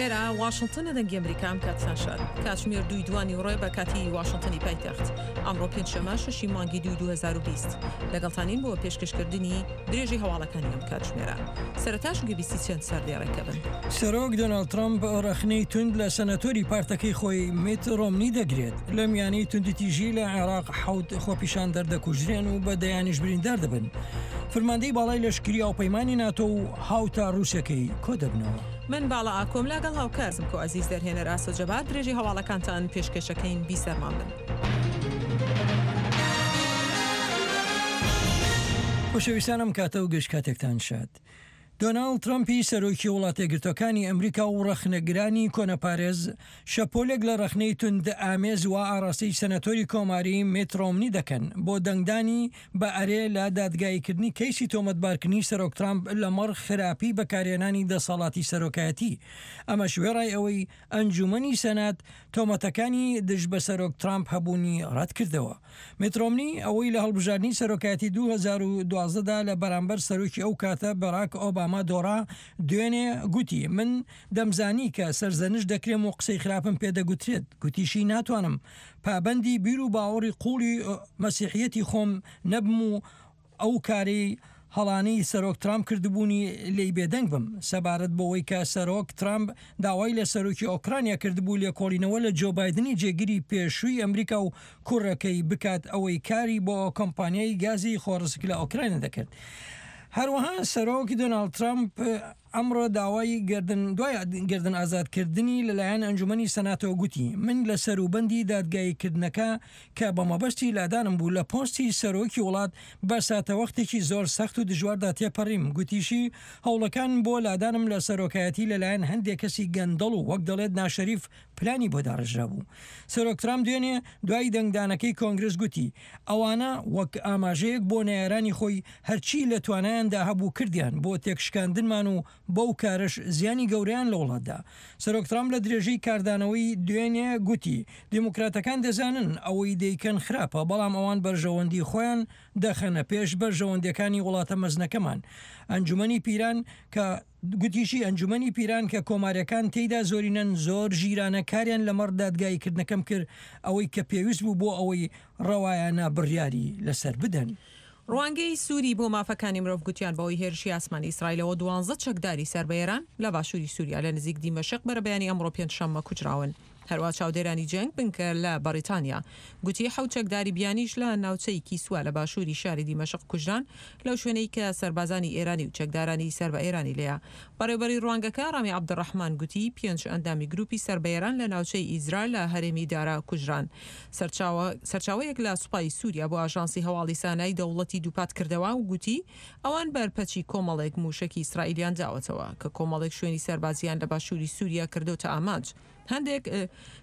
ئێرە واشنتنە دەنگی ئەمریکا ئەم کاتتان شاد. کاتژمێر دووی دوانی ڕێ بە کاتی واشنتنی پایتەخت. ئەمڕۆ پێنجشەممە شەشی مانگی دووی 2020. لەگەڵتانین بۆ پێشکەشکردنی درێژەی هەواڵەکانی ئەم کاتژمێرە. سەرەتاش گوێبیستی چەند سەردێڕێک دەبن. سەرۆک دۆناڵد ترەمپ ڕەخنەی توند لە سەناتۆری پارتەکەی خۆی میت ڕۆمنی دەگرێت. لە میانەی توندوتیژی لە عێراق حەوت خۆپیشاندەر دەکوژرێن و بە دەیانیش بریندار دەبن. فرماندەی باڵای لەشکری هاوپەیمانی ناتۆ و هاوتا ڕووسەکەی کۆدەبنەوە. من باڵا ئاکۆم لاگەڵ هاوکار سمکۆ ئەزیز دەرهێنەر ئاسۆ جەبار درێژەی هەواڵەکانتان پێشکەشەکەین بیسەرمان بن. خۆشەویستان ئەم کاتە و گشت کاتێکتان شاد. دۆناڵد ترەمپی سەرۆکی وڵاتەیەکگرتوەکانی ئەمریکا و ڕەخنەگرانی کۆنەپارێز شەپۆلێک لە ڕەخنەی توندئامێز وا ئاڕاستەی سەناتۆری کۆماری میت ڕۆمنی دەکەن بۆ دەنگدانی بە ئەرێ لە دادگاییکردنی کەیسی تۆمەتبارکردنی سەرۆک ترامپ لەمەڕ خراپی بەکارهێنانی دەسەڵاتی سەرۆکایەتی ئەمەش وێڕای ئەوەی ئەنجومەنی سەنات تۆمەتەکانی دژ بە سەرۆک ترامپ هەبوونی ڕەتکردەوە. میت ڕۆمنی ئەوەی لە هەڵبژاردنی سەرۆکایەتی 2012 دا لە بەرامبەر سەرۆکی ئەو کاتە باراک ئۆباما دۆڕا، دوێنێ گوتی، من دەمزانی کە سەرزەنشت دەکرێم و قسەی خراپم پێدەگوترێت، گوتیشی ناتوانم پابەندی بیر و باوەڕی قووڵی مەسیحییەتی خۆم نەبم و ئەو کارەی هەڵانەی سەرۆک ترامپ کردبوونی لێی بێدەنگ بم. سەبارەت بەوەی کە سەرۆک ترامپ داوای لە سەرۆکی ئۆکرانیا کردبوو لێکۆڵینەوە لە جۆ بایدنی جێگری پێشووی ئەمریکا و کوڕەکەی بکات ئەوەی کاری بۆ کۆمپانیای گازی خۆڕسک لە ئۆکرانیا دەکرد. هەروەها سەرۆک دۆناڵد ترامپ ئەمڕۆ داوای گەردن دوای گەردن ئازادکردنی لەلایەن ئەنجومەنی سەناتەوە گوتی، من لە سەروبەندی دادگاییکردنەکە کە بە مەبەستی لادانم بوو لە پۆستی سەرۆکی وڵات بە ساتەوەختێکی زۆر سەخت و دژواردا تێپەڕیم، گوتیشی، هەوڵەکان بۆ لادانم لە سەرۆکایەتی لەلایەن هەندێک کەسی گەندەڵ و وەک دەڵێت ناشەریف پلانی بۆ داڕێژرابوو. سەرۆک ترامپ دوێنێ دوای دەنگدانەکەی کۆنگرس گوتی، ئەوانە وەک ئاماژەیەک بۆ نەیارانی خۆی هەرچی لە توانایاندا هەبوو کردیان بۆ تێکشکاندنمان و بەو کارەش زیانی گەورەیان لە وڵات دا. سەرۆک ترامپ لە درێژەی کاردانەوەی دوێنێ گوتی، دیموکراتەکان دەزانن ئەوەی دەیکەن خراپە، بەڵام ئەوان بەرژەوەندی خۆیان دەخەنە پێش بەرژەوەندیەکانی وڵاتە مەزنەکەمان. ئەنجومەنی پیران کە. گوتیشی، ئەنجومەنی پیران کە کۆمارییەکان تێیدا زۆرینەن زۆر ژیرانە کاریان لەمەڕ دادگاییکردنەکەم کرد، ئەوەی کە پێویست بوو بۆ ئەوەی ڕەوایانە بڕیاری لەسەر بدەن. ڕوانگەی سوری بۆ مافەکانی مرۆڤ گوتیان بەهۆی هێرشی ئاسمانی ئیسرائیلەوە دوانزە چەکداری سەر بە ئێران لە باشووری سوریا لە نزیک دیمەشق بەرەبەیانی ئەمڕۆ پێنجشەممە کوژراون. هەروا چاودێرانی جەنگ بنکە لە بەڕیتانیا گوتی حەوت چەکداری بیانیش لە ناوچەی کیسوە لە باشووری شاری دیمەشق کوژران لەو شوێنەی کە سەربازانی ئێرانی و چەکدارانی سەر بە ئێرانی لێیە. بەڕێوبەری ڕوانگەکە ڕامی عەبدولڕەحمان گوتی پێنج ئەندامی گروپی سەر بە ئێران لە ناوچەی ئیزرا لە هەرێمی دارا کوژران. سەرچاوە سەرچاوەیەک لە سوپای سوریا بۆ ئاژانسی هەواڵی سانای دەوڵەتی دووپات کردەوە و گوتی ئەوان بەرپەچی کۆمەڵێک مووشەکی ئیسرائیلیان داوەتەوە کە کۆمەڵێک شوێنی سەربازییان لە باشووری سوریا کردۆتە ئامانج. هەندێک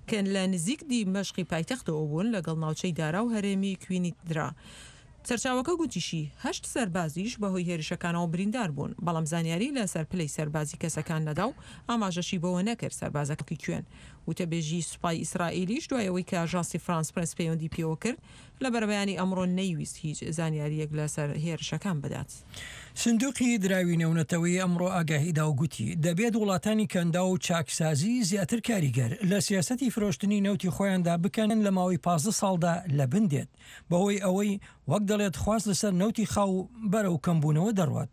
کە لە نزیک دیمەشقی پایتەختەوە بوون لەگەڵ ناوچەی دارا و هەرێمی کوینیترا. سەرچاوەکە گوتیشی، هەشت سەربازیش بەهۆی هێرشەکانەوە بریندار بوون، بەڵام زانیاری لەسەر پلەی سەربازی کەسەکان نەدا و ئاماژەشی بەوە نەکرد سەربازەکە کوێن. وتەبێژی سوپای ئیسرائیلیش دوای ئەوەی کە ئاژانسی فرانس پرێس پەیوەندی پێوە کرد، لە بەرەبەیانی ئەمڕۆ نەیویست هیچ زانیارییەک لەسەر هێرشەکان بدات. سندوقی دراوی نێونەتەوەیی ئەمڕۆ ئاگاهی دا و گوتی، دەبێت وڵاتانی کەنداو چاکسازی زیاتر کاریگەر لە سیاسەتی فرۆشتنی نەوتی خۆیاندا بکەن لە ماوەی 15 ساڵدا لەبن دێت بەهۆی ئەوەی وەک دەڵێت خواست لەسەر نەوتی خاو بەرەو کەمبوونەوە دەڕوات.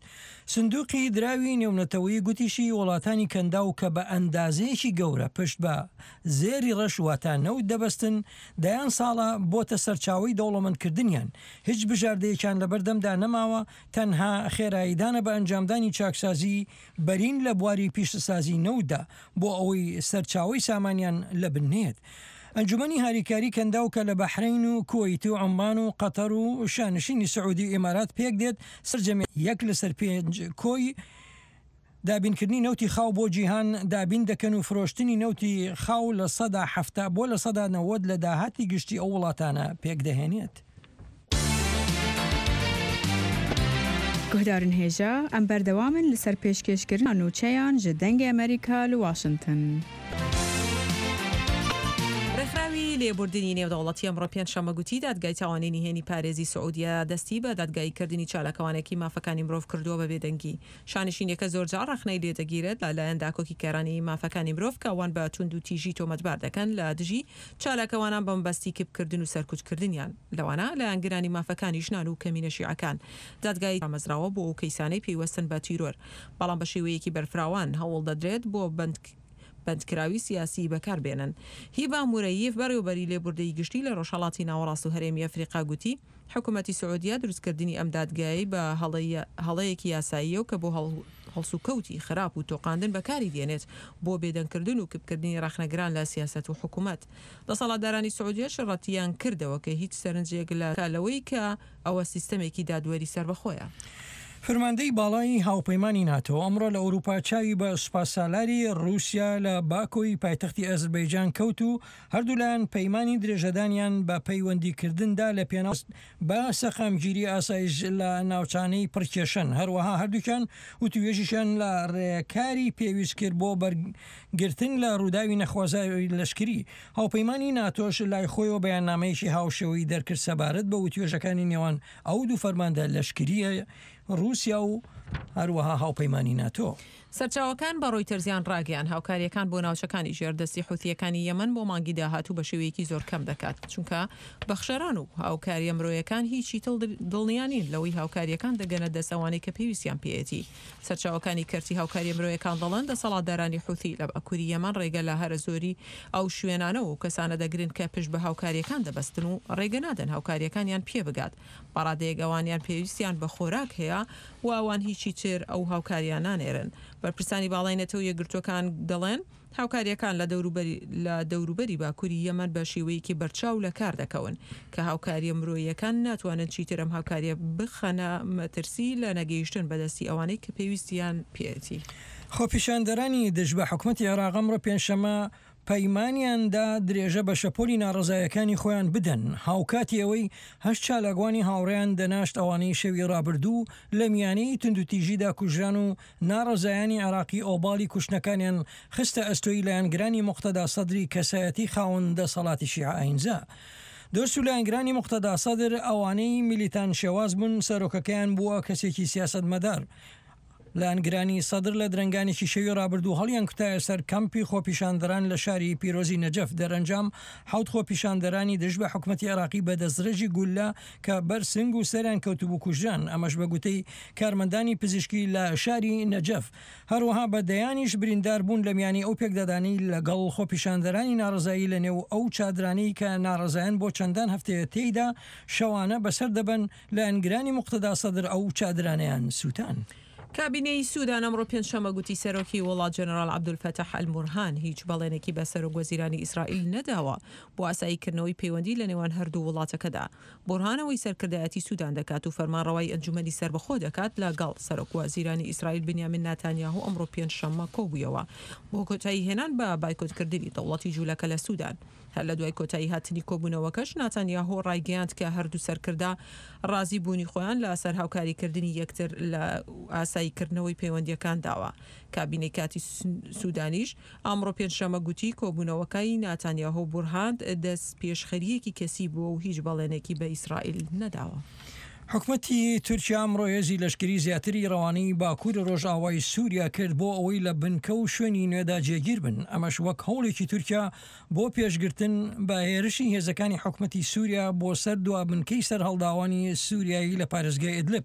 سندوقی دراوی نێونەتەوەیی گوتیشی وڵاتانی کەنداو کە بە ئەندازەیەکی گەورە پشت بە زێری ڕەش واتە نەوت دەبەستن دەیان ساڵە بۆتە سەرچاوەی دەوڵەمەندکردنیان، هیچ بژاردەیەکیان لەبەردەمدا نەماوە تەنها خێراییدانە بە ئەنجامدانی چاکسازیی بەرین لە بواری پیشەسازیی نەوتدا بۆ ئەوەی سەرچاوەی سامانیان لەبن نەیەت. ئەنجومەنی هاریکاری کەنداو کە لە بەحرەین و کوەیت و عوممان و قەتەر و شانشینی سعودی و ئیمارات پێکدێت سەرجەمی یەک لەسەر پێنج کۆی دابینکردنی نەوتی خاو بۆ جیهان دابین دەکەن و فرۆشتنی نەوتی خاو 70% بۆ 90% لە داهاتی گشتی ئەو وڵاتانە پێکدەهێنێت. Guhdarên hêja, em berdewam in li ser pêşkêşkirina nûçeyan ji Dengê Amerîka li Washington. ڕێکخراوی. بەڕێوەبەری لێبوردنی نێودەوڵەتی ئەمڕۆ پێنجشەممە گوتی، دادگای تاوانی نهێنی پارێزی سعودیە دەستی بە دادگاییکردنی چالاکوانێکی مافەکانی مرۆڤ کردووە بە بێدەنگی. شانشینیەکە زۆرجار ڕەخنەی لێدەگیرێت لە لایەن داکۆکیکارانی مافەکانی مرۆڤ کە ئەوان بە توندوتیژی تۆمەتبار دەکەن لە دژی چالاکوانان بە مەبەستی کپکردن و سەرکوتکردنیان، لەوانە لایەنگرانی مافەکانی ژنان و کەمینە شیعەکان. دادگای دامەزراوە بۆ ئەو کەیسانەی پەیوەستن بە تیرۆر، بەڵام بە شێوەیەکی بەرفراوان هەوڵدەدرێت بۆ بەند بەندکراوی سیاسی بەکار بێنن. هیبا مورەیف، بەڕێوەبەری لێبوردەیی گشتی لە ڕۆژهەڵاتی ناوەڕاست و هەرێمی ئەفریقا گوتی، حکومەتی سعودیە دروستکردنی ئەم دادگایەی بە هەڵەیەکی یاساییە و کە بۆ هەڵسوکەوتی خراپ و تۆقاندن بەکاری دێنێت بۆ بێدەنگکردن و کپکردنی ڕەخنەگران لە سیاسەت و حکومەت. دەسەڵاتدارانی سعودیەش ڕەتیان کردەوە کە هیچ سەرنجێک لە لەوەی کە ئەوە سیستەمێکی دادوەری سەربەخۆیە. فەرماندەی باڵای هاوپەیمانی ناتۆ ئەمڕۆ لە ئەوروپا چاوی بە سوپاسالاری ڕووسیا لە باکۆی پایتەختی ئەزربەیجان کەوت و هەردوولایان پەیمانی درێژەدانیان بە پەیوەندیکردندا لە پێناو بە سەقامگیری ئاسایش لە ناوچانەی پڕکێشەن، هەروەها هەردووکیان وتووێژیشیان لە ڕێکاری پێویست کرد بۆ بەرگرتن لە ڕووداوی نەخوازراوی لەشکری. هاوپەیمانی ناتۆش لای خۆیەوە بەیاننامەیەکی هاوشێوەی دەرکرد سەبارەت بە وتوێژەکانی نێوان ئەو دوو فەرماندە لەشکرییە ڕووسیا و هەروەها هاوپەیمانی ناتۆ. سەرچاوەکان بە ڕۆیتەرزیان ڕاگەیاند، هاوکارییەکان بۆ ناوچەکانی ژێر دەستی حوثییەکانی یەمەن بۆ مانگی داهاتوو بە شێوەیەکی زۆر کەم دەکات، چونکە بەخشەران و هاوکارییە مرۆیەکان هیچی تر دڵنیا نین لەوەی هاوکارییەکان دەگەنە دەست ئەوانەی کە پێویستیان پێیەتی. سەرچاوەکانی کەرتی هاوکارییە مرۆیەکان دەڵێن، دەسەڵاتدارانی حوثی لە باکووری یەمەن ڕێگە لە هەرە زۆری ئەو شوێنانە و کەسانە دەگرن کە پشت بە هاوکارییەکان دەبەستن و ڕێگە نادەن هاوکارییەکانیان پێ بگات بە ڕادەیەک ئەوانیان پێویستیان بە خۆراک هەیە و ئەوان هیچی تر ئەو هاوکارییە نانێرن. بەرپرسانی باڵای نەتەوە یەکگرتووەکان دەڵێن، هاوکارییەکان لە دەوروبەری لە دەوروبەری باکووری یەمەن بە شێوەیەکی بەرچاو لە کار دەکەون کە هاوکارییە مرۆییەکان ناتوانن چیتر ئەم هاوکارییە بخەنە مەترسی لە نەگەیشتن بە دەستی ئەوانەی کە پێویستیان پێیەتی. خۆپیشاندەرانی دژ بە حکومەتی عێراق ئەمڕۆ پێنجشەممە پەیمانیان دا درێژە بە شەپۆلی ناڕەزایەکانی خۆیان بدەن، هاوکاتی ئەوەی هەشت چالاکوانی هاوڕێیان دەناشت ئەوانەی شەوی ڕابردوو لە میانەی توندوتیژیدا کوژران و ناڕەزایانی عێراقی ئۆباڵی کوشتنەکانیان خستە ئەستۆی لایەنگرانی موقتەدا سەدری کەسایەتی خاوەن دەسەڵاتی شیعە ئاینزا دۆست و لایەنگرانی موقتەدا سەدر ئەوانەی میلیتان شێواز بوون سەرۆکەکەیان بووە کەسێکی سیاسەتمەدار لایەنگرانی سەدر لە درەنگانێکی شەوی ڕابردوو هەڵیانکوتایە سەر کەمپی خۆپیشاندەران لە شاری پیرۆزی نەجەف، دەرەنجام حەوت خۆپیشاندەرانی دژ بە حکومەتی عێراقی بە دەستڕێژی گوللە کە بەر سنگ و سەریان کەوتبوو کوژران، ئەمەش بە گوتەی کارمەندانی پزیشکی لە شاری نەجەف. هەروەها بە دەیانیش بریندار بوون لە میانی ئەو پێکدادانەی لەگەڵ خۆپیشاندەرانی ناڕەزایی لە نێو ئەو چادرانەی کە ناڕەزایان بۆ چەندان هەفتەیە تێیدا شەوانە بەسەر دەبەن لایەنگرانی موقتەدا سەدر ئەو چادرانەیان سووتان. کابینەی سودان ئەمڕۆ پێنجشەممە گوتی سەرۆکی وڵات جەنەراڵ عەبدولفەتاح ئەلبورهان هیچ بەڵێنێکی بە سەرۆکوەزیرانی ئیسرائیل نەداوە بۆ ئاساییکردنەوەی پەیوەندی لە نێوان هەردوو وڵاتەکەدا. بورهان ئەوەی سەرکردایەتی سودان دەکات و فەرمانڕەوایی ئەنجومەنی سەربەخۆ دەکات لەگەڵ سەرۆکوەزیرانی ئیسرائیل بنیامین ناتانیاهۆ ئەمڕۆ پێنجشەممە کۆبوویەوە بۆ کۆتاییهێنان بە بایکۆتکردنی دەوڵەتی جولەکە لە سودان. هەر لە دوای کۆتایی هاتنی کۆبوونەوەکەش ناتانیاهۆ ڕایگەیاند کە هەردوو سەرکردە ڕازی بوونی خۆیان لە سەر هاوکاری کردنی یەکتر لە ئاسایی کردنەوەی پەیوەندییەکان داوە. کابینەی کاتی سودانیش ئەمڕۆ پێنجشەممە گوتی کۆبوونەوەکەی ناتانیاهۆ و بورهاند دەستپێشخەرییەکی کەسی بووە و هیچ بەڵێنێکی بە ئیسرائیل نەداوە. حکومەتی تورکیا ئەمڕۆ هێزی لەشکری زیاتری ڕەوانەی باکووری ڕۆژئاوای سووریا کرد بۆ ئەوەی لە بنکە و شوێنی نوێدا جێگیر بن، ئەمەش وەک هەوڵێکی تورکیا بۆ پێشگرتن بە هێرشی هێزەکانی حکومەتی سووریا بۆ سەر دوا بنکەی سەرهەڵداوانی سووریایی لە پارێزگای ئیدلب.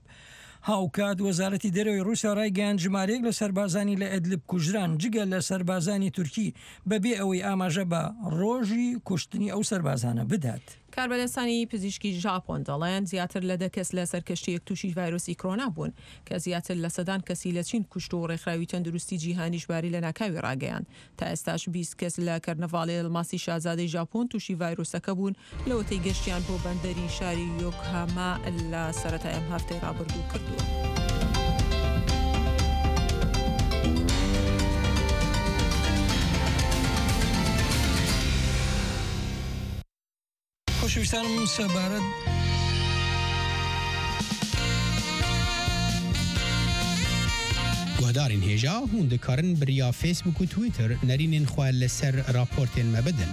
هاوکات وەزارەتی دەرەوەی ڕووسیا ڕایگەیاند ژمارەیەک لە سەربازانی لە ئیدلب کوژران جگە لە سەربازانی تورکی بەبێ ئەوەی ئاماژە بە ڕۆژی کوشتنی ئەو سەربازانە بدات. کاربەدەستانی پزیشکی ژاپۆن دەڵێن زیاتر لە دە کەس لەسەر کەشتییەک تووشی ڤایرۆسی کرۆنا بوون کە زیاتر لە سەدان کەسی لە چین کوشت و ڕێکخراوی تەندروستی جیهانیش باری لەناکاوی ڕاگەیاند. تا ئێستاش 20 کەس لە کەرنەڤاڵی ئەڵماسی شازادەی ژاپۆن تووشی ڤایرۆسەکە بوون لەوەتەی گەشتیان بۆ بەندەری شاری یۆکهاما لە سەرەتای ئەم هەفتەی ڕابردوو کردووە. خۆشەویستانم سەبارەت Guhdarên hêja hûn dikarin bi riya Facebook û Twitter nerînên xwe li ser raportên me bidin.